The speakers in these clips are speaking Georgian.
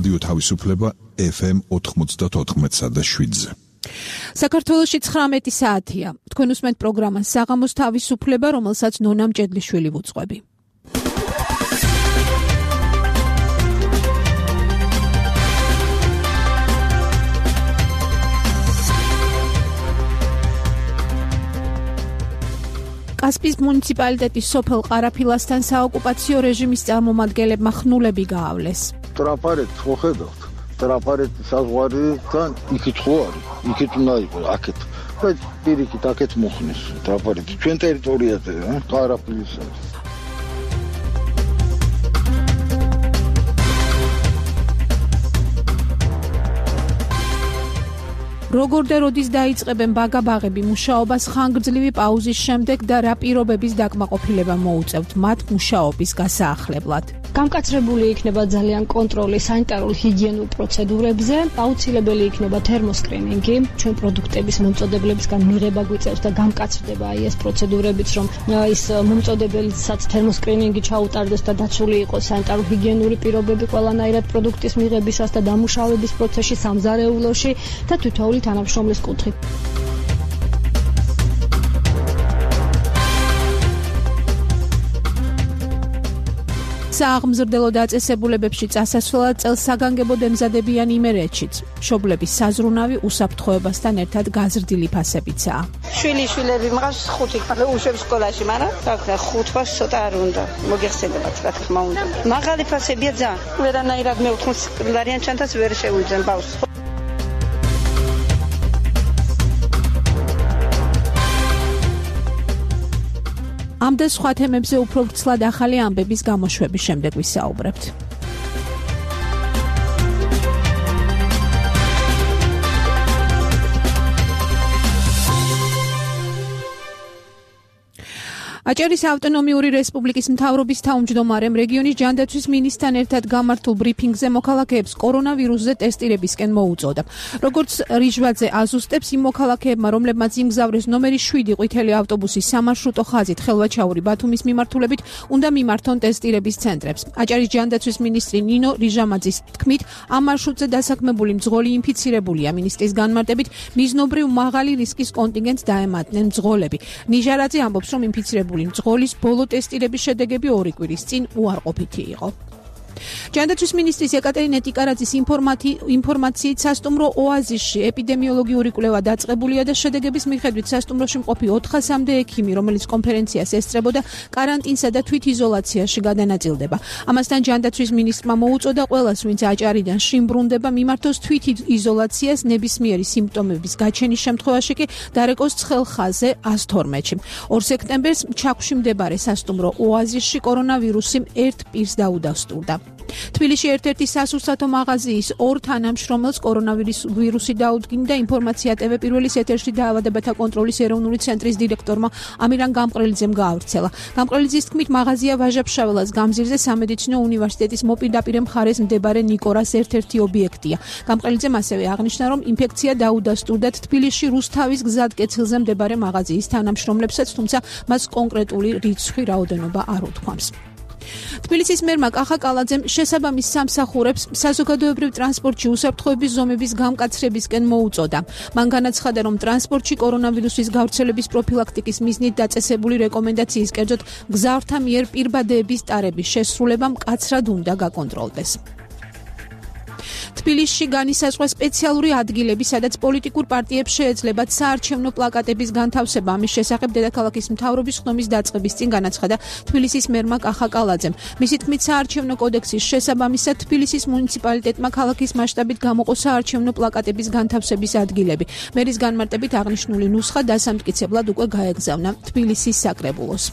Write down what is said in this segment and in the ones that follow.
რადიო თავისუფლება FM 94.7-ზე. საქართველოში 19 საათია. თქვენ უსმენთ პროგრამას საღამოს თავისუფლება, რომელსაც ნონა მჭედლიშვილი ვუძღვები. კასპიის მუნიციპალიტეტის სოფელ ყარაფილასთან საოკუპაციო რეჟიმის წარმომადგენლებმა ხნულები გაავლეს. ტრაპარეთ მოხედავთ. ტრაპარეთი საზღვარიდან იქით ხო არის? იქით უნდა იყოს აქეთ. բայց პირიქით აქეთ მოხნეს ტრაპარეთი ჩვენ ტერიტორიაზე, ყარაფილისა. როგორ და როდის დაიწყებენ ბაგაბაღები მუშაობას ხანგრძლივი პაუზის შემდეგ და რა პირობების დაკმაყოფილება მოუწევთ მათ მუშაობის გასაახლებლად. გამკაცრებული იქნება ძალიან კონტროლი სანიტარულ ჰიგიენურ პროცედურებზე, აუცილებელი იქნება თერმოსკრინინგი, ჩვენ პროდუქტების მომწოდებლებისგან მიღება გვიწევს და გამკაცრდება ეს პროცედურებიც, რომ ის მომწოდებელსაც თერმოსკრინინგი ჩაუტარდეს და დაცული იყოს სანიტარულ ჰიგიენური პირობები ყველანაირად პროდუქტის მიღებისას და დამუშავების პროცესში სამზარეულოში და თითოეული თანამშრომლის კუთხით. სააღმზრდელო დაწესებულებებში წასასვლელად წელს საგანგებოდ ემზადებიან იმერეთშიც. მშობლების საზრუნავი უსაფრთხოებასთან ერთად გაზრდილი ფასებიცაა. შვილები მღავს 5 უშვებს სკოლაში, მაგრამ თქმა 5 ფას ცოტა არ უნდა. მოგეხსენებათ, რა თქმა უნდა. მაღალი ფასებია ძალიან. ვერანაირად მე 80 ლარიან ჩანთას ვერ შევიძენ ბავშვს. ამ და სხვა თემებზე უფრო ვრცლად ახალი ამბების გამოშვების შემდეგ ვისაუბრებთ. აჭარის ავტონომიური რესპუბლიკის მთავრობის თავმჯდომარემ რეგიონის ჯანდაცვის მინისტრთან ერთად გამართულ ბრიფინგზე მოქალაქეებს კორონავირუსზე ტესტირებისკენ მოუწოდა. როგორც რიჟვაძე აზუსტებს, იმ მოქალაქეებმა, რომლებმაც იმგზავრეს ნომერი 7 ყვითელი ავტობუსის სამარშრუტო ხაზით ხელვაჩაური ბათუმის მიმართულებით, უნდა მიმართონ ტესტირების ცენტრებს. აჭარის ჯანდაცვის მინისტრი ნინო რიჟამაძის თქმით, ამ მარშრუტზე დასაქმებული მძღოლი ინფიცირებულია. მინისტრის განმარტებით, მიზნობრივ მაღალი რისკის კონტინგენტს დაემატნენ მძღოლები. ნიჟარაძე ამბობს, რომ ინფიცირებული მძღოლის ბოლო ტესტირების შედეგები 2 კვირის წინ უარყოფითი იყო. ჯანდაცვის მინისტრის ეკატერინე ტიკარაძის ინფორმაციით სასტუმრო ოაზისში ეპიდემიოლოგიური კვლევა დაწყებულია და შედეგების მიხედვით სასტუმროში მყოფი 400-მდე ექიმი, რომელიც კონფერენციას ესწრებოდა, კარანტინსა და თვითიზოლაციაში გადანაწილდება. ამასთან ჯანდაცვის მინისტრმა მოუწოდა ყველას, ვინც აჭარიდან შიმბრუნდება, მიმართოს თვითიზოლაციას ნებისმიერი სიმპტომების გაჩენის შემთხვევაში კი დარეკოს ცხელ ხაზზე 112-ში. 2 სექტემბერს ჩაქვში მდებარე სასტუმრო ოაზისში კორონავირუსი ერთ პირს დაუდასტურდა. თბილისში ერთ-ერთი სასურსათო მაღაზიის 2 თანამშრომელს კორონავირუსი დაუდგინდა. ინფორმაცია TV პირველის ეთერში დაავადებათა კონტროლის ეროვნული ცენტრის დირექტორმა ამირან გამყრელიძემ გაავრცელა. გამყრელიძის თქმით, მაღაზია ვაჟა-ფშაველას გამზირზე სამედიცინო უნივერსიტეტის მოპირდაპირე მხარეს მდებარე ნიკორას ერთ-ერთი ობიექტია. გამყრელიძემ ასევე აღნიშნა, რომ ინფექცია დაუდასტურდათ თბილისში რუსთავის გზატკეცილზე მდებარე მაღაზიის თანამშრომლებსაც, თუმცა მას კონკრეტული რიცხვი რაოდენობა არ უთქვამს. თბილისის მერმა კახა კალაძემ შესაბამის სამსახურებს საზოგადოებრივ ტრანსპორტში უსაფრთხოების ზომების გამკაცრებისკენ მოუწოდა. მან განაცხადა, რომ ტრანსპორტში კორონავირუსის გავრცელების პროფილაქტიკის მიზნით დაწესებული რეკომენდაციის კერძოდ მგზავრთა მიერ პირბადეების ტარების შესრულება მკაცრად უნდა გაკონტროლდეს. თბილისში განისაზღვრა სპეციალური ადგილები, სადაც პოლიტიკურ პარტიებს შეეძლებათ საარჩევნო პლაკატების განთავსება. ამის შესახებ დედაქალაქის მთავრობის ხდომის დაწყების წინ განაცხადა თბილისის მერმა კახა კალაძემ. მისი თქმით, საარჩევნო კოდექსის შესაბამისად თბილისის მუნიციპალიტეტმა ქალაქის მასშტაბით გამოყო საარჩევნო პლაკატების განთავსების ადგილები. მერის განმარტებით აღნიშნული ნუსხა დასამტკიცებლად უკვე გაეგზავნა თბილისის საკრებულოს.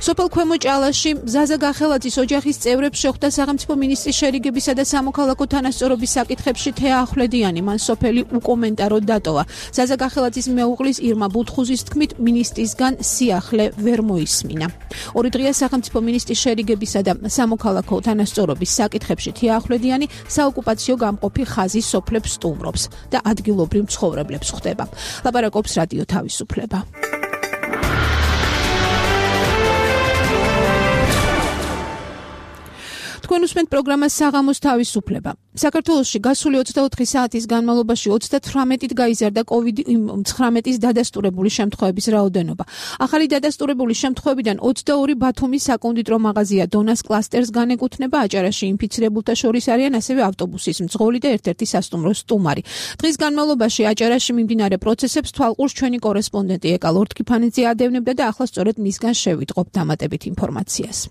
სოფელ ქვემო ჭალაში ზაზა გახელაძის ოჯახის წევრებს შეხვდა სახელმწიფო მინისტრის შერიგებისა და სამოქალაქო თანასწორობის საკითხებში თეა ახვლედიანი. მან სოფელი უკომენტაროდ დატოვა. ზაზა გახელაძის მეუღლის ირმა ბუთხუზის თქმით, მინისტრისგან სიახლე ვერ მოისმინა. 2 დღეა სახელმწიფო მინისტრის შერიგებისა და სამოქალაქო თანასწორობის საკითხებში თეა ახვლედიანი საოკუპაციო გამყოფი ხაზის სოფლებს სტუმრობს და ადგილობრივ მცხოვრებლებს ხვდება. ლაპარაკობს რადიო თავისუფლება. თქვენ უსმენთ პროგრამას საღამოს თავისუფლება. საქართველოში გასული 24 საათის განმავლობაში 38-ით გაიზარდა COVID-19-ის დადასტურებული შემთხვევების რაოდენობა. ახალი დადასტურებული შემთხვევებიდან 22 ბათუმის საკონდიტრო მაღაზია დონას კლასტერს განეკუთვნება, აჭარაში ინფიცირებულთა შორის არიან ასევე ავტობუსის მძღოლი და ერთ-ერთი სასტუმროს სტუმარი. დღის განმავლობაში აჭარაში მიმდინარე პროცესებს თვალყურს ჩვენი კორესპონდენტი ეკა ლორთქიფანიძე ადევნებდა და ახლა სწორედ მისგან შევიტყობ დამატებით ინფორმაციას.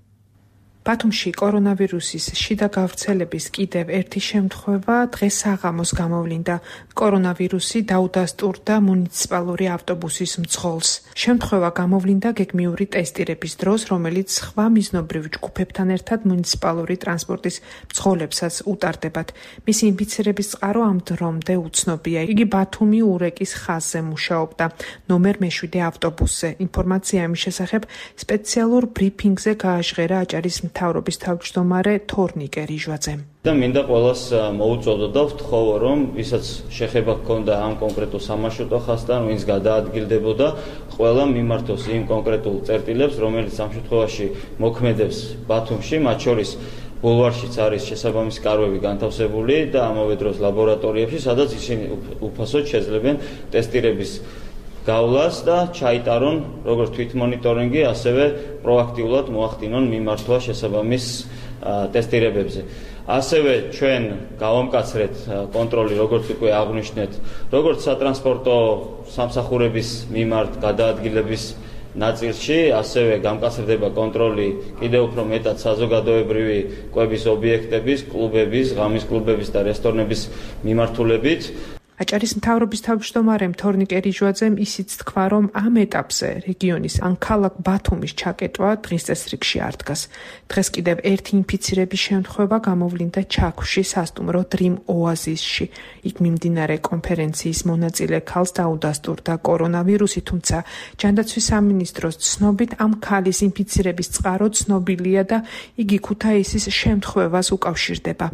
ბათუმში კორონავირუსის შიდა გავრცელების კიდევ ერთი შემთხვევა დღეს საღამოს გამოვლინდა. კორონავირუსი დაუდასტურდა მუნიციპალური ავტობუსის მძღოლს. შემთხვევა გამოვლინდა გეგმიური ტესტირების დროს, რომელიც სხვა მიზნობრივ ჯგუფებთან ერთად მუნიციპალური ტრანსპორტის მძღოლებსაც უტარდებათ. მისი ინფიცირების წყარო ამ დრომდე უცნობია. იგი ბათუმი ურეკის ხაზზე მუშაობდა, ნომერ მე-7 ავტობუსზე. ინფორმაცია ამის შესახებ სპეციალურ ბრიფინგზე გააჟღერა აჭარის მთავრობის თავმჯდომარე თორნიკე ლიჟვაძემ. და მინდა ყველას მოუწოდო და ვთხოვო, რომ ვისაც შეხება ჰქონდა ამ კონკრეტულ სამარშრუტო ხაზთან, ვინც გადაადგილდებოდა, ყველა მიმართოს იმ კონკრეტულ წერტილებს, რომელიც ამ შემთხვევაში მოქმედებს ბათუმში, მათ შორის ბულვარშიც არის შესაბამისი კარვები განთავსებული და ამავე დროს ლაბორატორიებში, სადაც ისინი უფასოდ შეძლებენ ტესტირების გავლას და ჩაიტარონ როგორც თვითმონიტორინგი, ასევე პროაქტიულად მოახდინონ მიმართვა შესაბამის ტესტირებებზე. ასევე ჩვენ გავამკაცრეთ კონტროლი, როგორც უკვე აღვნიშნეთ, როგორც სატრანსპორტო სამსახურების მიმართ გადაადგილების ნაწილში, ასევე გამკაცრდება კონტროლი კიდევ უფრო მეტად საზოგადოებრივი კვების ობიექტების, კლუბების, ღამის კლუბების და რესტორნების მიმართულებით. აჭარის მთავრობის თავმჯდომარემ თორნიკე ლიჟვაძემ ისიც თქვა, რომ ამ ეტაპზე რეგიონის ან ქალაქ ბათუმის ჩაკეტვა დღის წესრიგში არ დგას. დღეს კიდევ ერთი ინფიცირების შემთხვევა გამოვლინდა ჩაქვში სასტუმრო Dream Oasis-ში. იქ მიმდინარე კონფერენციის მონაწილე ქალს დაუდასტურდა კორონავირუსი, თუმცა ჯანდაცვის სამინისტროს ცნობით ამ ქალის ინფიცირების წყარო ცნობილია და იგი ქუთაისის შემთხვევას უკავშირდება.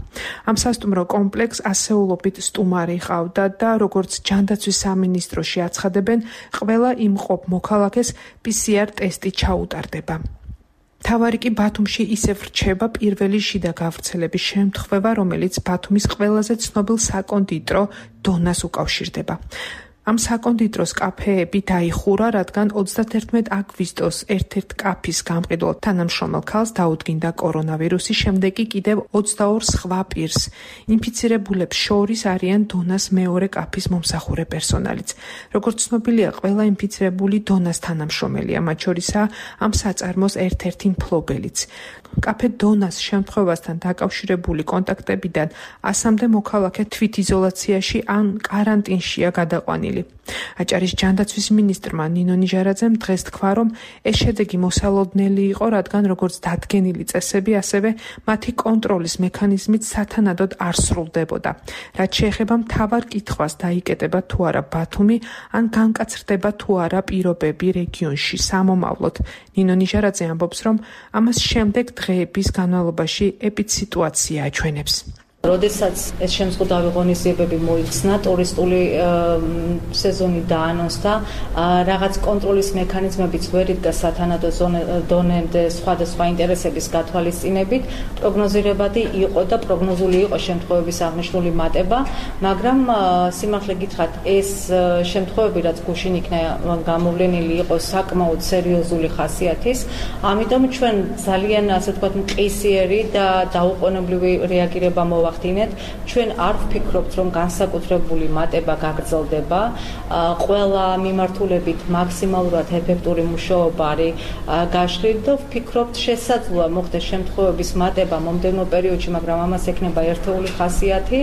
ამ სასტუმრო კომპლექსს ასეულობით სტუმარი ჰყავდა და როგორც ჯანდაცვის სამინისტროში აცხადებენ, ყველა იმყოფ მოქალაქეს PCR ტესტი ჩაუტარდება. თავარი კი ბათუმში ისევ რჩება პირველი შიდა გავრცელების შემთხვევა, რომელიც ბათუმის ყველაზე ცნობილ საკონდიტრო დონას უკავშირდება. ამ საკონდიტროს კაფეები დაიხურა, რადგან 31 აგვისტოს ერთ-ერთ კაფის გამყიდველ თანამშრომელ ქალს დაუდგინდა კორონავირუსი, შემდეგ კი კიდევ 22 სხვა პირს. ინფიცირებულებს შორის არიან დონას მეორე კაფის მომსახურე პერსონალიც. როგორც ცნობილია, ყველა ინფიცირებული დონას თანამშრომელია, მათ შორისაა ამ საწარმოს ერთ-ერთი მფლობელიც. კაფე დონას შემთხვევასთან დაკავშირებული კონტაქტებიდან 100-მდე მოქალაქე თვითიზოლაციაში ან კარანტინშია გადაყვანილი. აჭარის ჯანდაცვის მინისტრმა ნინო ნიჟარაძემ დღეს თქვა, რომ ეს შედეგი მოსალოდნელი იყო, რადგან როგორც დადგენილი წესები, ასევე მათი კონტროლის მექანიზმით სათანადოდ არ სრულდებოდა. რაც შეეხება მთავარ კითხვას, დაიკეტება თუ არა ბათუმი, ან განკაცრდება თუ არა პირობები რეგიონში სამომავლოდ. ნინო ნიჟარაძე ამბობს, რომ ამას შემდეგ დღეების განმავლობაში ეპიდსიტუაცია აჩვენებს. როდესაც ეს შემზღუდავი ღონისძიებები მოიხსნა, ტურისტული სეზონი დაანონსდა, რაღაც კონტროლის მექანიზმებიც ვერ იდგა სათანადო დონემდე სხვადასხვა ინტერესების გათვალისწინებით, პროგნოზირებადი იყო და პროგნოზული იყო შემთხვევების აღნიშნული მატება, მაგრამ სიმართლე გითხრათ, ეს შემთხვევები, რაც გუშინ იქნა გამოვლენილი, იყო საკმაოდ სერიოზული ხასიათის, ამიტომ ჩვენ ძალიან, ასე ვთქვათ, მყისიერი და დაუყოვნებლივი რეაგირება მოვახდინეთ. ჩვენ არ ვფიქრობთ, რომ განსაკუთრებული მატება გაგრძელდება. ყველა მიმართულებით მაქსიმალურად ეფექტური მუშაობა არის გაშლილი და ვფიქრობთ, შესაძლოა მოხდეს შემთხვევების მატება მომდევნო პერიოდში, მაგრამ ამას ექნება ერთეული ხასიათი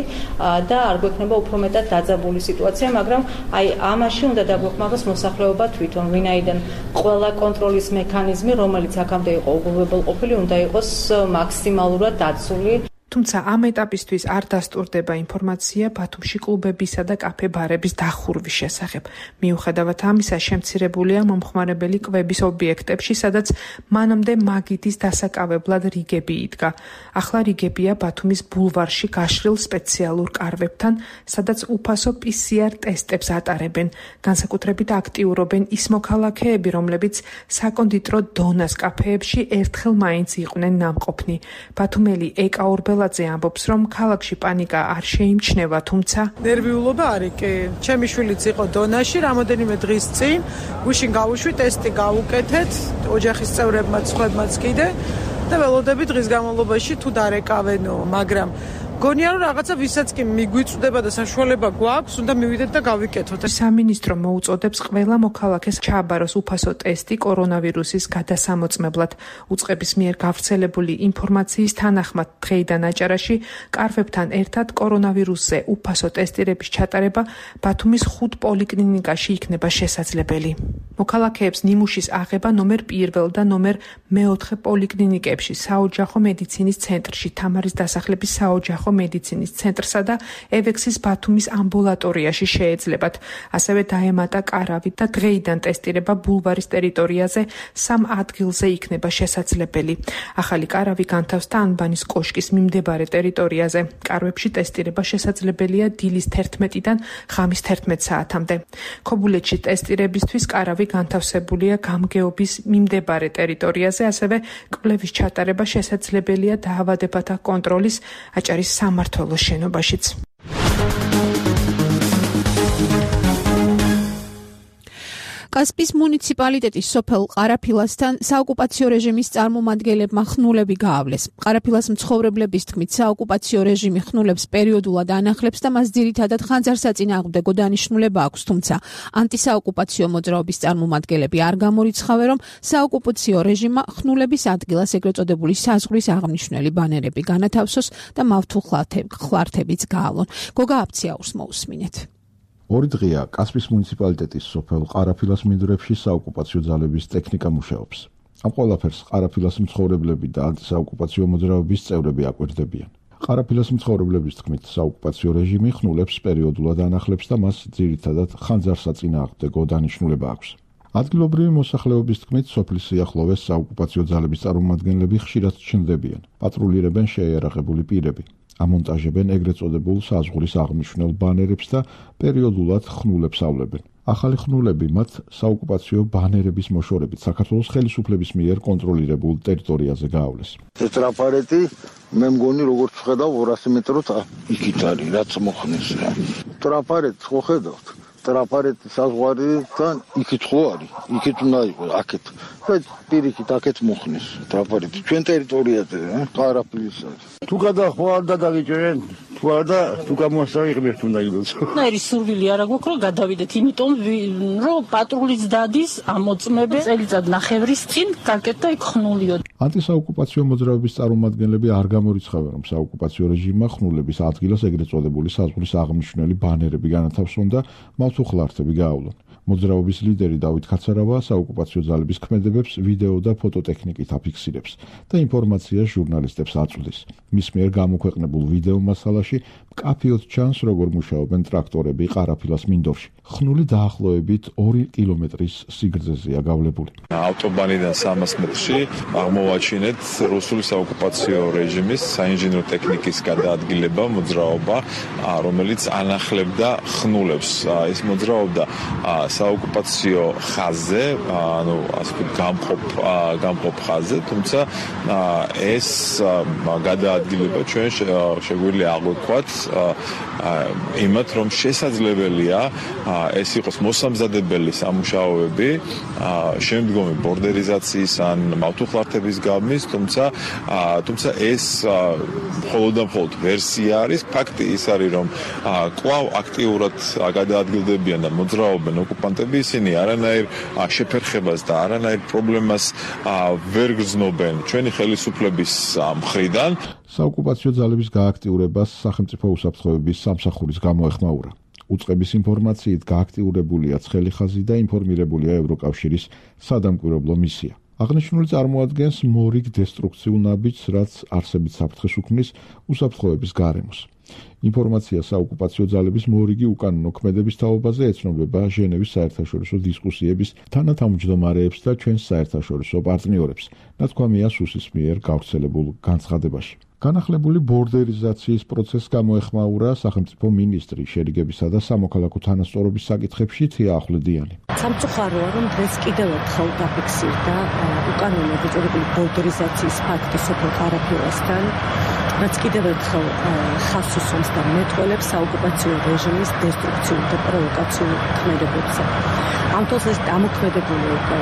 და არ გვექნება უფრო მეტად დაძაბული სიტუაცია, მაგრამ აი ამაში უნდა დაგვეხმაროს მოსახლეობა თვითონ, ვინაიდან ყველა კონტროლის მექანიზმი, რომელიც აქამდე იყო უგულებელყოფილი, უნდა იყოს მაქსიმალურად დაცული. თუმცა ამ ეტაპისთვის არ დასტურდება ინფორმაცია ბათუმში კლუბებისა და კაფე-ბარების დახურვის შესახებ. მიუხედავად ამისა, შემცირებულია მომხმარებელი კვების ობიექტებში, სადაც მანამდე მაგიდის დასაკავებლად რიგები იდგა. ახლა რიგებია ბათუმის ბულვარში გაშლილ სპეციალურ კარვებთან, სადაც უფასო PCR ტესტებს ატარებენ. განსაკუთრებით აქტიურობენ ის მოქალაქეები, რომლებიც საკონდიტრო დონას კაფეებში ერთხელ მაინც იყვნენ ნამყოფნი. ბათუმელი ეკა ორბელაძე ამბობს, რომ ქალაქში პანიკა არ შეიმჩნევა, თუმცა ნერვიულობა არის კი. ჩემი შვილიც იყო დონაში, რამოდენიმე დღის წინ, გუშინ გავუშვი, ტესტი გავუკეთეთ, ოჯახის წევრებმაც, სხვებმაც კიდე და ველოდები დღის განმავლობაში თუ დარეკავენო, მაგრამ გონია რომ რაღაცა ვისაც კი მიგვიწვდება და საშუალება გვაქვს, უნდა მივიდეთ და გავიკეთოთ. სამინისტრო მოუწოდებს ყველა მოქალაქეს ჩააბაროს უფასო ტესტი კორონავირუსის გადასამოწმებლად. უწყების მიერ გავრცელებული ინფორმაციის თანახმად დღეიდან აჭარაში კარვებთან ერთად კორონავირუსზე უფასო ტესტირების ჩატარება ბათუმის 5 პოლიკლინიკაში იქნება შესაძლებელი. მოქალაქეებს ნიმუშის აღება ნომერ 1 და ნომერ 4 პოლიკლინიკებში, საოჯახო მედიცინის ცენტრში, თამარის დასახლების საოჯახო მედიცინის ცენტრსა და ევექსის ბათუმის ამბულატორიაში შეეძლებათ. ასევე დაემატა კარავი და დღეიდან ტესტირება ბულვარის ტერიტორიაზე 3 ადგილზე იქნება შესაძლებელი. ახალი კარავი განთავსდა ანბანის კოშკის მიმდებარე ტერიტორიაზე. კარვებში ტესტირება შესაძლებელია დილის 11-დან ღამის 11 საათამდე. ქობულეთში ტესტირებისთვის კარავი განთავსებულია გამგეობის მიმდებარე ტერიტორიაზე, ასევე კვლევის ჩატარება შესაძლებელია დაავადებათა კონტროლის აჭარის სამმართველოს შენობაშიც. კასპის მუნიციპალიტეტის სოფელ ყარაფილასთან საოკუპაციო რეჟიმის წარმომადგენლებმა ხნულები გაავლეს. ყარაფილას მცხოვრებლების თქმით, საოკუპაციო რეჟიმი ხნულებს პერიოდულად ანახლებს და მას ძირითადად ხანძარსაწინააღმდეგო დანიშნულება აქვს, თუმცა ანტისაოკუპაციო მოძრაობის წარმომადგენლები არ გამორიცხავენ, რომ საოკუპაციო რეჟიმმა ხნულების ადგილას ეგრეთ წოდებული საზღვრის აღნიშნული ბანერები განათავსოს და მავთულ ხლართებიც გაალონ. გოგა აფციაურს მოусმინეთ. ორი დღეა კასპის მუნიციპალიტეტის სოფელ ყარაფილას მინდვრებში საოკუპაციო ძალების ტექნიკა მუშაობს. ამ ყველაფერს ყარაფილას მცხოვრებლები და ანტისაოკუპაციო მოძრაობის წევრები აკვირდებიან. ყარაფილას მცხოვრებლების თქმით, საოკუპაციო რეჟიმი ხნულებს პერიოდულად ანახლებს და მას ძირითადად ხანძარსაწინააღმდეგო დანიშნულება აქვს. ადგილობრივი მოსახლეობის თქმით, სოფლის სიახლოვეს საოკუპაციო ძალების წარმომადგენლები ხშირად ჩნდებიან, პატრულირებენ შეიარაღებული პირები. ამონტაჟებენ ეგრეთ წოდებულ საზღვრის აღნიშნულ ბანერებს და პერიოდულად ხნულებს ავლებენ. ახალი ხნულები მათ საოკუპაციო ბანერების მოშორებით საქართველოს ხელისუფლების მიერ კონტროლირებულ ტერიტორიაზე გაავლეს. ეს ტრაფარეტი მე მგონი როგორც ხედავ 200 მეტროთ იქით არის, რაც მოხნეს. ტრაფარეტს ხო ხედავთ? ტრაფარეტის საზღვარიდან იქით ხო არის? იქით უნდა იყოს, აქეთ. და პირიქით აქეთ მოხნეს ტრაფარეტი. ჩვენ ტერიტორიაზე, ყარაფილისა. თუ გადახვა არ დაგიჭერენ, თუ არა თუ გამოსაღებთ უნდა იყოს. ნაირი სურვილი არა გვაქვს რომ გადავიდეთ, იმიტომ რომ პატრულიც დადის ამოწმებენ წელიწად ნახევრის წინ გაკეთდა იქ ხნულიო. ანტისაოკუპაციო მოძრაობის წარმომადგენლები არ გამორიცხავენ, რომ საოკუპაციო რეჟიმმა ხნულების ადგილას ეგრეთ წოდებული საზღვრის აღნიშნული ბანერები განათავსონ და მავთულ ხლართები გაავლონ. მოძრაობის ლიდერი დავით ქაცარავა საოკუპაციო ძალების ქმედებებს ვიდეო და ფოტოტექნიკით აფიქსირებს და ინფორმაციას ჟურნალისტებს აწვდის. მის მიერ გამოქვეყნებულ ვიდეო მასალაში მკაფიოდ ჩანს, როგორ მუშაობენ ტრაქტორები ყარაფილას მინდორში. ხნული დაახლოებით 2 კილომეტრის სიგრძეზეა გავლებული. ავტობანიდან 300 მეტრში აღმოვაჩინეთ რუსული საოკუპაციო რეჟიმის საინჟინრო ტექნიკის გადაადგილება, მოძრაობა, რომელიც ანახლებდა ხნულებს. ეს მოძრაობდა საოკუპაციო ხაზზე, ანუ ასე გამყოფ ხაზზე, თუმცა ეს გადაადგილება ჩვენ შეგვიძლია აღვქვათ იმათ, რომ შესაძლებელია ეს იყოს მოსამზადებელი სამუშაოები შემდგომი ბორდერიზაციის ან მავთულხლართების გამის, თუმცა ეს მხოლოდ და მხოლოდ ვერსია არის. ფაქტი ის არის, რომ კვლავ აქტიურად გადაადგილდებიან და მოძრაობენ ოკუპანტები, ისინი არანაირ შეფერხებას და არანაირ პრობლემას ვერ გრძნობენ ჩვენი ხელისუფლების მხრიდან. საოკუპაციო ძალების გააქტიურებას სახელმწიფო უსაფრთხოების სამსახურის გამოეხმაურა. უწყების ინფორმაციით გააქტიურებულია ცხელი ხაზი და ინფორმირებულია ევროკავშირის სადამკვირვებლო მისია. აღნიშნული წარმოადგენს მორიგ დესტრუქციულ ნაბიჯს, რაც არსებით საფრთხეს უქმნის უსაფრთხოების გარემოს. ინფორმაცია საოკუპაციო ძალების მორიგი უკანონო ქმედების თაობაზე ეცნობება ჟენევის საერთაშორისო დისკუსიების თანათავმჯდომარეებს და ჩვენს საერთაშორისო პარტნიორებს, ნათქვამია სუსის მიერ გავრცელებულ განცხადებაში. განახლებული ბორდერიზაციის პროცესს გამოეხმაურა სახელმწიფო მინისტრი შერიგებისა და სამოქალაქო თანასწორობის საკითხებში თია ახვლედიანი. სამწუხაროა, რომ დღეს კიდევ ერთხელ დაფიქსირდა უკანონო დაწყებული ბორდერიზაციის ფაქტი სოფელ ყარაფილასთან, რაც კიდევ ერთხელ ხაზს უსვამს და მეტყველებს საოკუპაციო რეჟიმის დესტრუქციულ და პროვოკაციულ ქმედებებზე. ამ დროს ეს დამოქმედებული იყო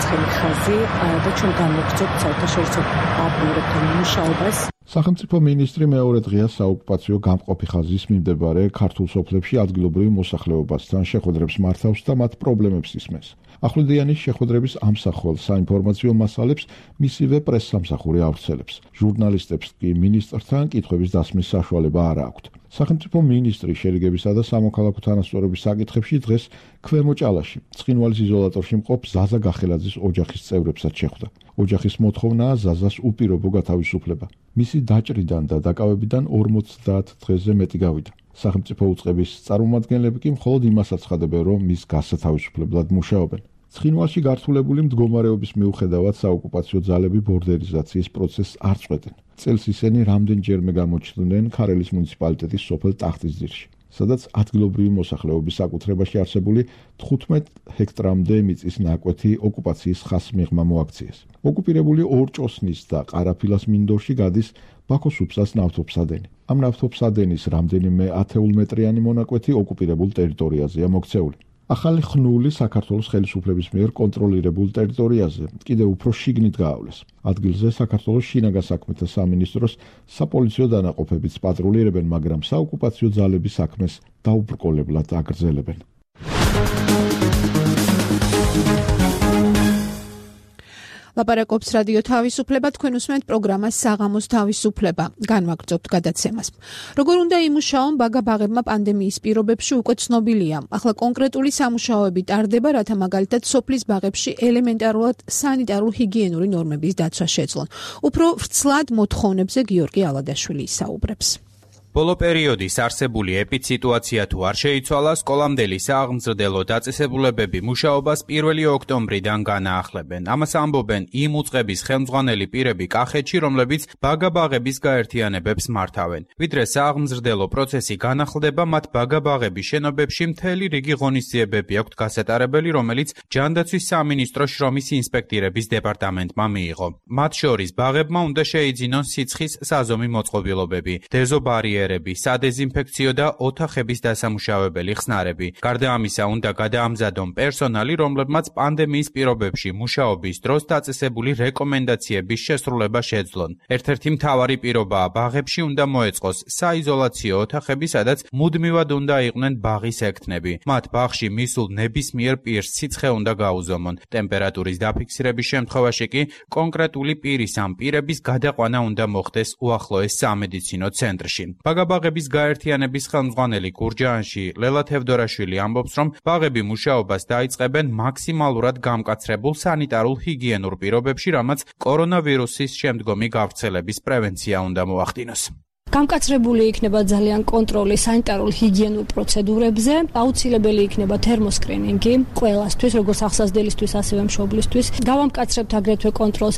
ცხელი ხაზი და ჩვენ გამოვხსოვთ საერთაშორისო პარტნიორებთან მუშაობას. სახელმწიფო მინისტრი მეორე დღეა საოკუპაციო გამყოფი ხაზის მიმდებარე ქართულ სოფლებში ადგილობრივ მოსახლეობასთან შეხვედრებს მართავს და მათ პრობლემებს ისმენს. ახვლედიანის შეხვედრების ამსახველ საინფორმაციო მასალებს მისივე პრესსამსახური ავრცელებს. ჟურნალისტებს კი მინისტრთან კითხვების დასმის საშუალება არ აქვთ. სახელმწიფო მინისტრი შერიგებისა და სამოქალაქო თანასწორობის საკითხებში დღეს ქვემო ჭალაში, ცხინვალის იზოლატორში მყოფ ზაზა გახელაძის ოჯახის წევრებსაც შეხვდა. ოჯახის მოთხოვნაა ზაზას უპირობო გათავისუფლება. მისი დაჭრიდან და დაკავებიდან 50 დღეზე მეტი გავიდა. სახელმწიფო უწყების წარმომადგენლები კი მხოლოდ იმას აცხადებენ, რომ მის გასათავისუფლებლად მუშაობენ. ცხინვალში გართულებული მდგომარეობის მიუხედავად საოკუპაციო ძალები ბორდერიზაციის პროცესს არ წყვეტენ. წელს ისინი რამდენჯერმე გამოჩნდნენ ქარელის მუნიციპალიტეტის სოფელ ტახტისძირში, სადაც ადგილობრივი მოსახლეობის საკუთრებაში არსებული 15 ჰექტრამდე მიწის ნაკვეთი ოკუპაციის ხაზს მიღმა მოაქციეს. ოკუპირებული ორჭოსნის და ყარაფილას მინდორში გადის ბაქოს უბსას ნავთობსადენი. ამ ნავთობსადენის რამდენიმე ათეულმეტრიანი მონაკვეთი ოკუპირებულ ტერიტორიაზეა მოქცეული. ახალი ხნული საქართველოს ხელისუფლების მიერ კონტროლირებულ ტერიტორიაზე კიდევ უფრო შიგნით გაავლეს. ადგილზე საქართველოს შინაგან საქმეთა სამინისტროს საპოლიციო დანაყოფებიც პატრულირებენ, მაგრამ საოკუპაციო ძალების საქმეს დაუბრკოლებლად აგრძელებენ. ლაპარაკობს რადიო თავისუფლება, თქვენ უსმენთ პროგრამას საღამოს თავისუფლება. განვაგრძობთ გადაცემას. როგორ უნდა იმუშაონ ბაგა-ბაღებმა პანდემიის პირობებში უკვე ცნობილია. ახლა კონკრეტული სამუშაოები ტარდება, რათა მაგალითად სოფლის ბაღებში ელემენტარულად სანიტარულ-ჰიგიენური ნორმების დაცვა შეძლონ. უფრო ვრცლად მოთხოვნებზე გიორგი ალადაშვილი ისაუბრებს. ბოლო პერიოდის არსებული ეპიდსიტუაცია თუ არ შეიცვალა, სკოლამდელი სააღმზრდელო დაწესებულებები მუშაობას 1 ოქტომბრიდან განაახლებენ. ამას ამბობენ იმ უწყების ხელმძღვანელი პირები კახეთში, რომლებიც ბაგა-ბაღების გაერთიანებებს მართავენ. ვიდრე სააღმზრდელო პროცესი განახლდება, მათ ბაგა-ბაღების შენობებში მთელი რიგი ღონისძიებები აქვთ გასატარებელი, რომელიც ჯანდაცვის სამინისტროს შრომის ინსპექტირების დეპარტამენტმა მიიღო. მათ შორის ბაღებმა უნდა შეიძინონ სიცხის საზომი მოწყობილობები, დეზობარიერები, სადეზინფექციო და ოთახების დასამუშავებელი ხსნარები. გარდა ამისა, უნდა გადაამზადონ პერსონალი, რომლებმაც პანდემიის პირობებში მუშაობის დროს დაწესებული რეკომენდაციების შესრულება შეძლონ. ერთ-ერთი მთავარი პირობაა, ბაღებში უნდა მოეწყოს საიზოლაციო ოთახები, სადაც მუდმივად უნდა იყვნენ ბაღის ექთნები. მათ ბაღში მისულ ნებისმიერ პირს სიცხე უნდა გაუზომონ. ტემპერატურის დაფიქსირების შემთხვევაში კი კონკრეტული პირის ან პირების გადაყვანა უნდა მოხდეს უახლოეს სამედიცინო ცენტრში. ბაგა-ბაღების გაერთიანების ხელმძღვანელი გურჯაანში ლელა თევდორაშვილი ამბობს, რომ ბაღები მუშაობას დაიწყებენ მაქსიმალურად გამკაცრებულ სანიტარულ-ჰიგიენურ პირობებში, რამაც კორონავირუსის შემდგომი გავრცელების პრევენცია უნდა მოახდინოს. გამკაცრებული იქნება ძალიან კონტროლი სანიტარულ-ჰიგიენურ პროცედურებზე, აუცილებელი იქნება თერმოსკრინინგი ყველასთვის, როგორც ახსაზრდელისთვის, ასევე მშობლისთვის. გავამკაცრებთ აგრეთვე კონტროლს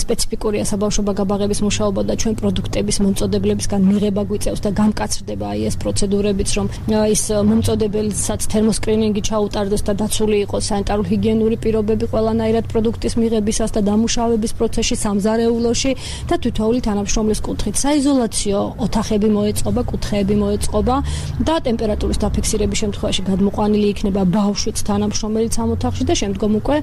სპეციფიკურია საბავშვო ბაგა-ბაღების მუშაობა და ჩვენ პროდუქტების მომწოდებლებისგან მიღება გვიწევს და გამკაცრდება ეს პროცედურებიც, რომ ის მომწოდებელსაც თერმოსკრინინგი ჩაუტარდეს და დაცული იყოს სანიტარულ-ჰიგიენური პირობები ყველანაირად პროდუქტის მიღებისას და დამუშავების პროცესში, სამზარეულოში და თითოეული თანამშრომლის კუთხით. საიზოლაციო ოთახები მოეწყობა, კუთხეები მოეწყობა და ტემპერატურის დაფიქსირების შემთხვევაში გადმოყვანილი იქნება ბავშვიც თანამშრომელიც ამ ოთახში და შემდგომ უკვე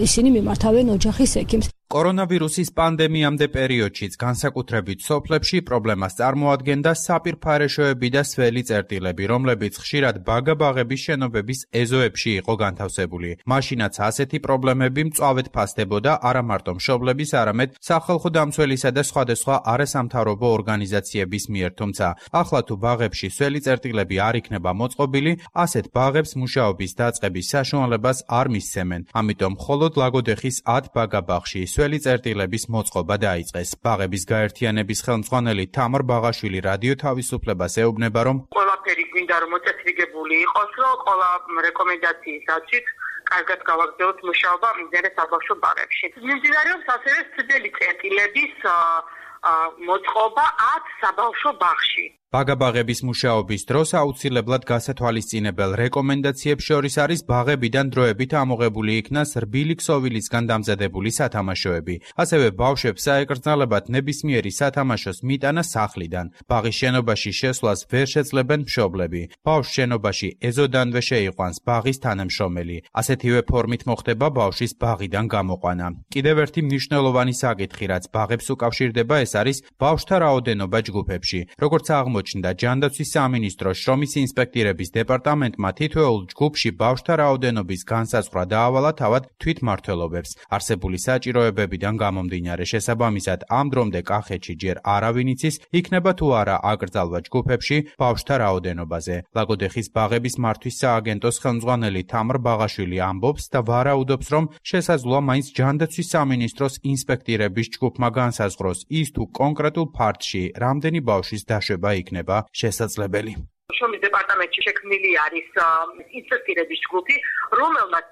ისინი მიმართავენ ოჯახის ექიმს. კორონავირუსის პანდემიამდე პერიოდშიც განსაკუთრებით სოფლებში პრობლემას წარმოადგენდა საპირფარეშოები და სველი წერტილები, რომლებიც ხშირად ბაგა-ბაღების შენობების ეზოებში იყო განთავსებული. მაშინაც ასეთი პრობლემები მწვავედ ფასდებოდა არა მარტო მშობლების, არამედ სახალხო დამცველისა და სხვადასხვა არასამთავრობო ორგანიზაციების მიერ, თუმცა ახლა თუ ბაღებში სველი წერტილები არ იქნება მოწყობილი, ასეთ ბაღებს მუშაობის დაწყების საშუალებას არ მისცემენ. ამიტომ მხოლოდ ლაგოდეხის 10 ბაგა-ბაღში სველი წერტილების მოწყობა დაიწყეს. ბაღების გაერთიანების ხელმძღვანელი თამარ ბაღაშვილი რადიო თავისუფლებას ეუბნება, რომ ყველაფერი გვინდა რომ მოწესრიგებული იყოს, რომ ყველა რეკომენდაციის დაცვით კარგად გავაგრძელოთ მუშაობა მიმდინარე საბავშვო ბაღებში. მიმდინარეობს ასევე სველი წერტილების მოწყობა 10 საბავშვო ბაღში. ბაგა-ბაღების მუშაობის დროს აუცილებლად გასათვალისწინებელ რეკომენდაციებს შორის არის ბაღებიდან დროებით ამოღებული იქნას რბილი ქსოვილისგან დამზადებული სათამაშოები. ასევე ბავშვებს საეკრძალებათ ნებისმიერი სათამაშოს მიტანა სახლიდან. ბაღის შენობაში შესვლას ვერ შეძლებენ მშობლები. ბავშვს შენობაში ეზოდანვე შეიყვანს ბაღის თანამშრომელი. ასეთივე ფორმით მოხდება ბავშვის ბაღიდან გამოყვანა. კიდევ ერთი მნიშვნელოვანი საკითხი, რაც ბაღებს უკავშირდება, ეს არის ბავშვთა რაოდენობა ჯგუფებში. როგორც აღმოჩნდა ჯანდაცვის სამინისტროს შრომის ინსპექტირების დეპარტამენტმა თითოეულ ჯგუფში ბავშვთა რაოდენობის განსაზღვრა დაავალა თავად თვითმმართველობებს. არსებული საჭიროებებიდან გამომდინარე შესაბამისად ამ დრომდე კახეთში ჯერ არავინ იცის, იქნება თუ არა აკრძალვა ჯგუფებში ბავშვთა რაოდენობაზე. ლაგოდეხის ბაღების მართვის სააგენტოს ხელმძღვანელი თამარ ბაღაშვილი ამბობს და ვარაუდობს, რომ შესაძლოა მაინც ჯანდაცვის სამინისტროს ინსპექტირების ჯგუფმა განსაზღვროს ის თუ კონკრეტულ ფარდში რამდენი ბავშვის დაშვება იქნება შესაძლებელი. შრომის დეპარტამენტში შექმნილი არის ინსპექტირების ჯგუფი, რომელმაც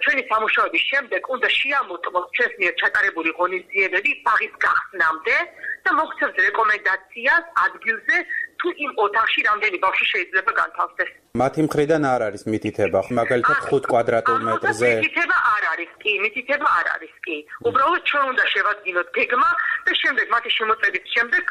ჩვენი სამუშაოების შემდეგ უნდა შეამოწმოს ჩვენს მიერ ჩატარებული ღონისძიებები ბაღის გახსნამდე და მოგცემს რეკომენდაციას ადგილზე თუ იმ ოთახში რამდენი ბავშვი შეიძლება განთავსდეს. მათი მხრიდან არ არის მითითება, მაგალითად 5 კვადრატულ მეტრზე. მითითება არ არის კი. უბრალოდ ჩვენ უნდა შევადგინოთ გეგმა და შემდეგ მათი შემოწმების შემდეგ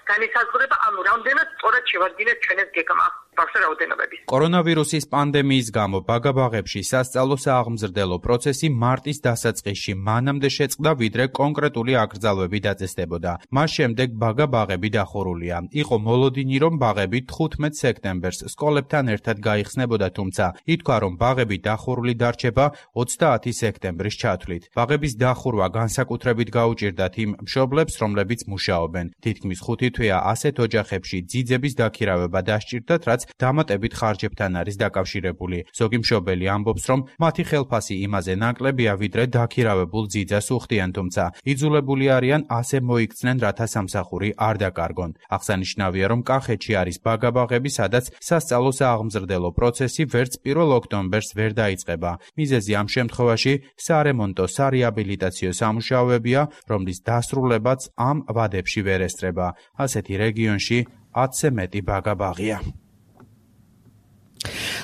განისაზღვრება, ანუ რამდენად სწორად შევადგინეთ ჩვენ ეს გეგმა. ბავშვთა რაოდენობების. კორონავირუსის პანდემიის გამო ბაგა-ბაღებში სასწავლო სააღმზრდელო პროცესი მარტის დასაწყისში მანამდე შეწყდა, ვიდრე კონკრეტული აკრძალვები დაწესდებოდა. მას შემდეგ ბაგა-ბაღები დახურულია. იყო მოლოდინი, რომ ბაღები 15 სექტემბერს სკოლებთან ერთად გაიხსნებოდა, თუმცა ითქვა, რომ ბაღები დახურული დარჩება 30 სექტემბრის ჩათვლით. ბაღების დახურვა განსაკუთრებით გაუჭირდათ იმ მშობლებს, რომლებიც მუშაობენ. თითქმის 5 თვეა ასეთ ოჯახებში ძიძების დაქირავება დასჭირდათ, რაც დამატებით ხარჯებთან არის დაკავშირებული. ზოგი მშობელი ამბობს, რომ მათი ხელფასი იმაზე ნაკლებია, ვიდრე დაქირავებულ ძიძას უხდიან, თუმცა იძულებული არიან ასე მოიქცნენ, რათა სამსახური არ დაკარგონ. აღსანიშნავია, რომ კახეთში არის ბაგა-ბაღები, სადაც სასწავლო სააღმზრდელო პროცესი ვერც 1 ოქტომბერს ვერ დაიწყება. მიზეზი ამ შემთხვევაში სარემონტო სარეაბილიტაციო სამუშაოებია, რომლის დასრულებაც ამ ვადებში ვერ ესწრება. ასეთი რეგიონში 10-ზე მეტი ბაგა-ბაღია.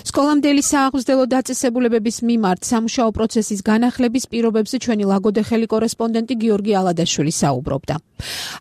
სკოლამდელი სააღმზრდელო დაწესებულებების მიმართ სამუშაო პროცესის განახლების პირობებზე ჩვენი ლაგოდეხელი კორესპონდენტი გიორგი ალადაშვილი საუბრობდა.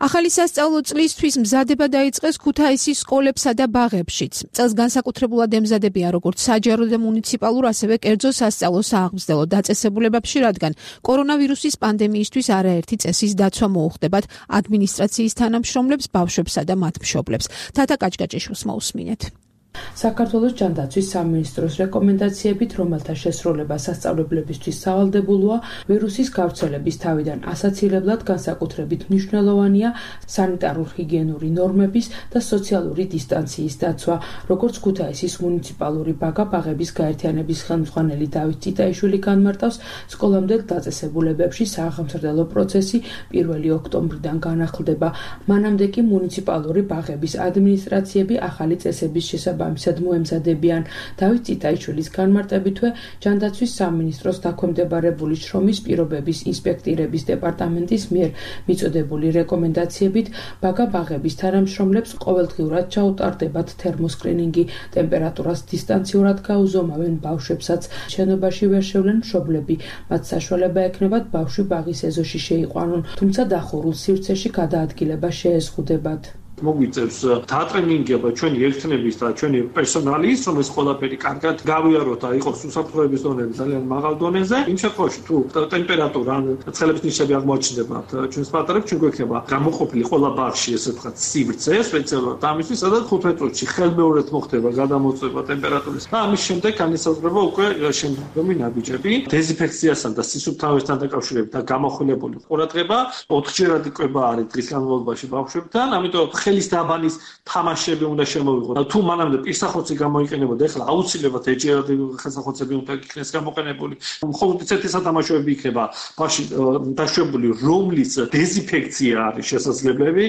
ახალი სასწავლო წლისთვის მზადება დაიწყეს ქუთაისის სკოლებსა და ბაღებშიც. წელს განსაკუთრებულად ემზადებიან როგორც საჯარო და მუნიციპალურ, ასევე კერძო სასწავლო სააღმზრდელო დაწესებულებებში, რადგან კორონავირუსის პანდემიისთვის არაერთი წესის დაცვა მოუხდებათ ადმინისტრაციის თანამშრომლებს, ბავშვებსა და მათ მშობლებს. თათა კაჭკაჭიშვილს მოусმინეთ. საქართველოს ჯანდაცვის სამინისტროს რეკომენდაციებით, რომელთა შესრულება სასწავლებლებისთვის სავალდებულოა, ვირუსის გავრცელების თავიდან ასაცილებლად განსაკუთრებით მნიშვნელოვანია სანიტარულ-ჰიგიენური ნორმების და სოციალური დისტანციის დაცვა, როგორც ქუთაისის მუნიციპალური ბაგა-ბაღების გაერთიანების ხელმძღვანელი დავით წიტაიშვილი განმარტავს, სკოლამდელ დაწესებულებებში სააღმზრდელო პროცესი 1 ოქტომბრიდან განახლდება. მანამდე კი მუნიციპალური ბაღების ადმინისტრაციები ახალი წესების შესაბამისად მოემზადებიან. დავით წიტაიშვილის განმარტებითვე, ჯანდაცვის სამინისტროს დაქვემდებარებული შრომის პირობების ინსპექტირების დეპარტამენტის მიერ მიწოდებული რეკომენდაციებით ბაგა-ბაღების თანამშრომლებს ყოველდღიურად ჩაუტარდებათ თერმოსკრინინგი, ტემპერატურას დისტანციურად გაუზომავენ ბავშვებსაც, შენობაში ვერ შევლენ მშობლები, მათ საშუალება ექნებათ ბავშვი ბაღის ეზოში შეიყვანონ, თუმცა დახურულ სივრცეში გადაადგილება შეეზღუდებათ. მოგვიწევს დაატრენინგება ჩვენი ერთნების და ჩვენი პერსონალის, რომ ეს ყველაფერი კარგად გავიაროთ და იყოს უსაფრთხოების დონეზე ძალიან მაღალ დონეზე. იმ შემთხვევაში თუ ტემპერატურა ან ცხელების ნიშნები აღმოაჩნდება ჩვენს პატარებს, ჩვენ გვექნება გამოყოფილი ყველა ბაღში ესე ვთქვათ სივრცე სპეციალურად ამისთვის, სადაც 15 წუთში ხელმეორედ მოხდება გადამოწვევა ტემპერატურის და ამის შემდეგ განისაზღვრება უკვე შემდგომი ნაბიჯები. დეზინფექციასთან და სისუფთავესთან დაკავშირებით და გამოხილებული ყურადღება 4-ჯერადი კვება არის დღის განმავლობაში ბავშვებთან, ამიტომ ხელის დაბანის თამაშები უნდა შემოვიღოთ. თუ მანამდე პირსახოცი გამოიყენებოდა, ეხლა აუცილებლად ეჯერადი ხელსახოცები უნდა იქნეს გამოყენებული. მხოლოდ ისეთი სათამაშოები იქნება ბავშვი დაშვებული, რომლის დეზინფექცია არის შესაძლებელი.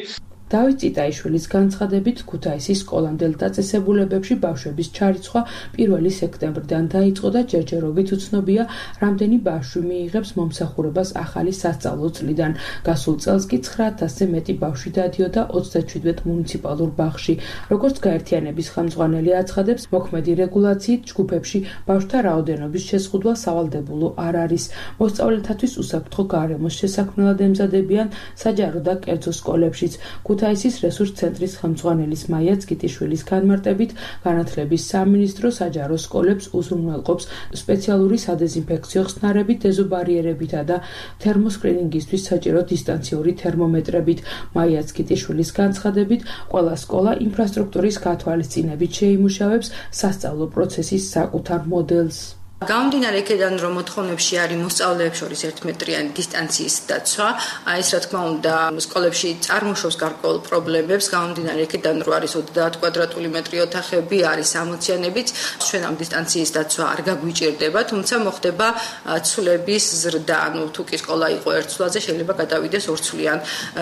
დავით წიტაიშვილის განცხადებით, ქუთაისის სკოლამდელ დაწესებულებებში ბავშვების ჩარიცხვა 1 სექტემბრიდან დაიწყო და ჯერჯერობით უცნობია, რამდენი ბავშვი მიიღებს მომსახურებას ახალი სასწავლო წლიდან. გასულ წელს კი 9000-ზე მეტი ბავშვი დადიოდა 37 მუნიციპალურ ბაღში. როგორც გაერთიანების ხელმძღვანელი აცხადებს, მოქმედი რეგულაციით ჯგუფებში ბავშვთა რაოდენობის შესყიდვა სავალდებულო არ არის. მოსწავლეთათვის უსაფრთხო გარემოს შესაქმნელად ემზადებიან საჯარო და კერძო სკოლებშიც. ქუთაისის რესურს ცენტრის ხელმძღვანელის მაია წკიტიშვილის განმარტებით, განათლების სამინისტრო საჯარო სკოლებს უზრუნველყოფს სპეციალური სადეზინფექციო ხსნარებით, დეზობარიერებითა და თერმოსკრინინგისთვის საჭირო დისტანციური თერმომეტრებით. მაია წკიტიშვილის განცხადებით, ყველა სკოლა ინფრასტრუქტურის გათვალისწინებით შეიმუშავებს სასწავლო პროცესის საკუთარ მოდელს. გამომდინარე იქედან, რომ მოთხოვნებში არის მოსწავლეებს შორის 1 მეტრიანი დისტანციის დაცვა, ეს რა თქმა უნდა სკოლებში წარმოშობს გარკვეულ პრობლემებს, გამომდინარე იქედან, რომ არის 30 კვადრატული მეტრი ოთახები, არის ამოციანებიც, ჩვენ ამ დისტანციის დაცვა არ გაგვიჭირდება, თუმცა მოხდება ცვლების ზრდა, ანუ თუ კი სკოლა იყო 1 ცვლაზე, შეიძლება გადავიდეს 2 ცვლიან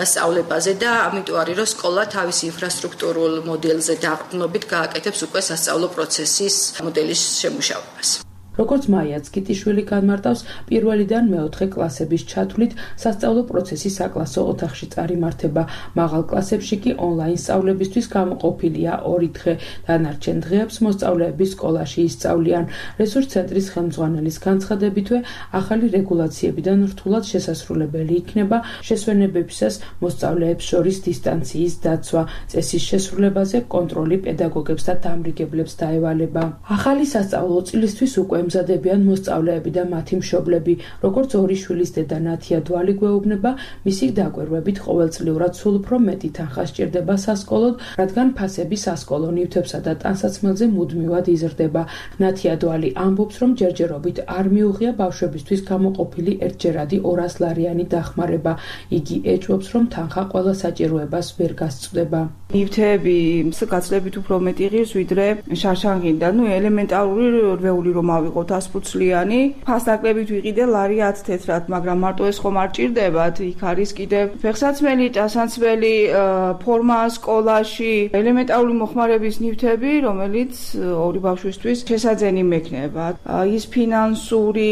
სწავლებაზე და ამიტომ არის, რომ სკოლა თავის ინფრასტრუქტურულ მოდელზე დაყრდნობით გააკეთებს უკვე სასწავლო პროცესის მოდელის შემუშავებას. როგორც მაია წკიტიშვილი განმარტავს, 1-დან მე-4 კლასების ჩათვლით სასწავლო პროცესი საკლასო ოთახში წარიმართება. მაღალ კლასებში კი ონლაინ სწავლებისთვის გამოყოფილია 2 დღე. დანარჩენ დღეებს მოსწავლეები სკოლაში ისწავლიან. რესურს ცენტრის ხელმძღვანელის განცხადებითვე, ახალი რეგულაციებიდან რთულად შესასრულებელი იქნება შესვენებებისას მოსწავლეებს შორის დისტანციის დაცვა. წესის შესრულებაზე კონტროლი პედაგოგებს და დამრიგებლებს დაევალება. ახალი სასწავლო წლისთვის უკვე ემზადებიან მოსწავლეები და მათი მშობლები. როგორც 2 შვილის დედა ნათია დვალი გვეუბნება, მისი დაკვირვებით ყოველწლიურად სულ უფრო მეტი თანხა სჭირდება სასკოლოდ, რადგან ფასები სასკოლო ნივთებსა და ტანსაცმელზე მუდმივად იზრდება. ნათია დვალი ამბობს, რომ ჯერჯერობით არ მიუღია ბავშვებისთვის გამოყოფილი 1-ჯერადი 200 ლარიანი დახმარება. იგი ეჭვობს, რომ თანხა ყველა საჭიროებას ვერ გასწვდება. ნივთები გაცლებით უფრო მეტი ღირს, ვიდრე შარშანგიდან. ელემენტარული რვეული რომ ავიღოთ 100 ფასდაკლებით ვიყიდე ლარი 10 თეთრად, მაგრამ მარტო ეს ხომ არ ჭირდებათ. იქ არის კიდევ ფეხსაცმელი, ტანსაცმელი, ფორმა სკოლაში, ელემენტარული მოხმარების ნივთები, რომელიც 2 ბავშვისთვის შესაძენი მექნება. ის ფინანსური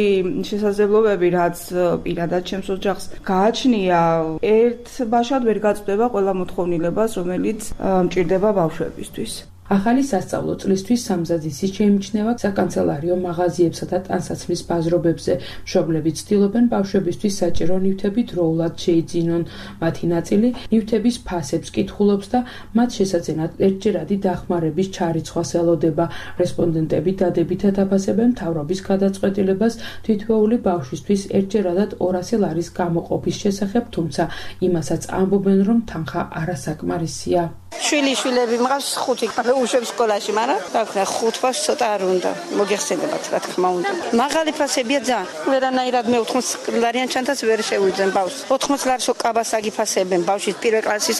შესაძლებლობები, რაც პირადად ჩემს ოჯახს გააჩნია, ერთ ბაშად ვერ გაწვდება ყველა მოთხოვნილებას, რომელიც მჭირდება ბავშვებისთვის. ახალი სასწავლო წლისთვის სამზადისი შეიმჩნევა საკანცელარიო მაღაზიებსა და ტანსაცმლის ბაზრობებზე. მშობლები ცდილობენ ბავშვებისთვის საჭირო ნივთები დროულად შეიძინონ. მათი ნაწილი ნივთების ფასებს კითხულობს და მათ შესაძენად 1-ჯერადი დახმარების ჩარიცხვას ელოდება. რესპონდენტები დადებითად აფასებენ მთავრობის გადაწყვეტილებას თითოეული ბავშვისთვის 1-ჯერადად 200 ლარის გამოყოფის შესახებ, თუმცა იმასაც ამბობენ, რომ თანხა არასაკმარისია. შვილები მყავს 5 უშვებს სკოლაში, მაგრამ დაქვნა 5 ბავშვს ცოტა არ უნდა. მოგეხსენებათ, რა თქმა უნდა. მაღალი ფასებია ძალიან. ვერანაირად მე 80 ლარიან ჩანთას ვერ შევიძენ ბავშვს. 80 ლარს უკაბას აგიფასებენ ბავშვის 1 კლასის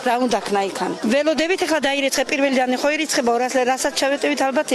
რა უნდა ქნა იქან. ველოდებით ახლა დაირიცხე პირველიდან ხო ირიცხება 200 ლარი, რასაც ჩავეტევით ალბათ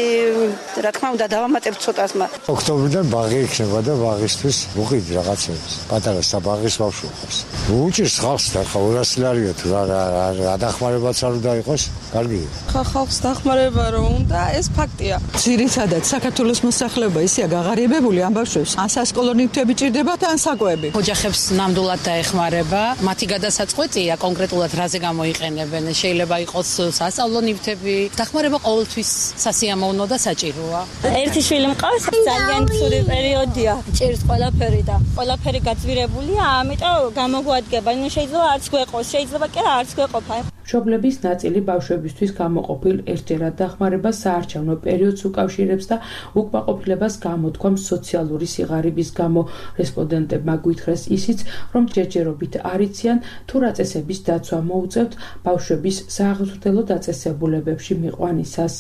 რა თქმა უნდა დავამატებთ ცოტას მაგ. ოქტომბრიდან ბაღი იქნება და ბაღისთვის უყიდი რაღაცებს. პატარა საბაღის ბავშვი ხავს. უჭირს ხალხს და ხა 200 ლარია თუ რა დახმარებაც არ უნდა იყოს, კარგია. ხალხს დახმარება რომ უნდა, ეს ფაქტია. ძირითადად საქართველოს მოსახლეობა ისეა გაღარიბებული ამ ბავშვებს. ან სასკოლო ნივთები ჭირდებათ, ან საკვები. ოჯახებს ნამდვილად დაეხმარება. მათი გადასაწყვეტია კონკრეტულად რაზე გამოიყენებენ. შეიძლება იყოს სასწავლო ნივთები. დახმარება ყოველთვის სასიამოვნო და საჭიროა. ერთი შვილი მყავს, ძალიან ცუდი პერიოდია. ჭირს ყველაფერი და ყველაფერი გაძვირებულია, ამიტომ გამოგვადგება. შეიძლება არც გვეყოს, შეიძლება კი არც გვეყოფა. მასშტაბლების ნაწილი ბავშვებისთვის გამოყოფილ ერთჯერად დახმარებას საარჩევნო პერიოდს უკავშირებს და უკმაყოფილებას გამოთქვამს სოციალური სიღარიბის გამო. რესპონდენტებმა გვითხრეს ისიც, რომ ჯერჯერობით არ იციან თუ რა წესების დაცვა მოუწევთ ბავშვების სააღმრთელო დაწესებულებებში მიყვანისას.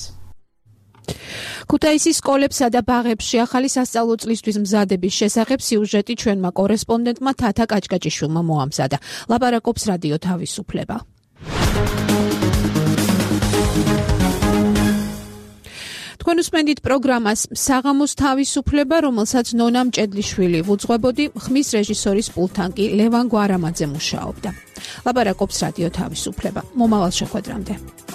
ქუთაისის სკოლებსა და ბაღებში ახალი სასწავლო წლისთვის მზადების შესახებ სიუჟეტი ჩვენმა კორესპონდენტმა თათა კაჭკაჭიშვილმა მოამზადა. ლაპარაკობს რადიო თავისუფლება. თქვენ უსმენთ პროგრამას საღამოს თავისუფლება, რომელსაც ნონა მჭედლიშვილი ვუძღვებოდი, ხმის რეჟისორის პულტთან კი ლევან გვარამაძე მუშაობდა. ლაპარაკობს რადიო თავისუფლება. მომავალ შეხვედრამდე.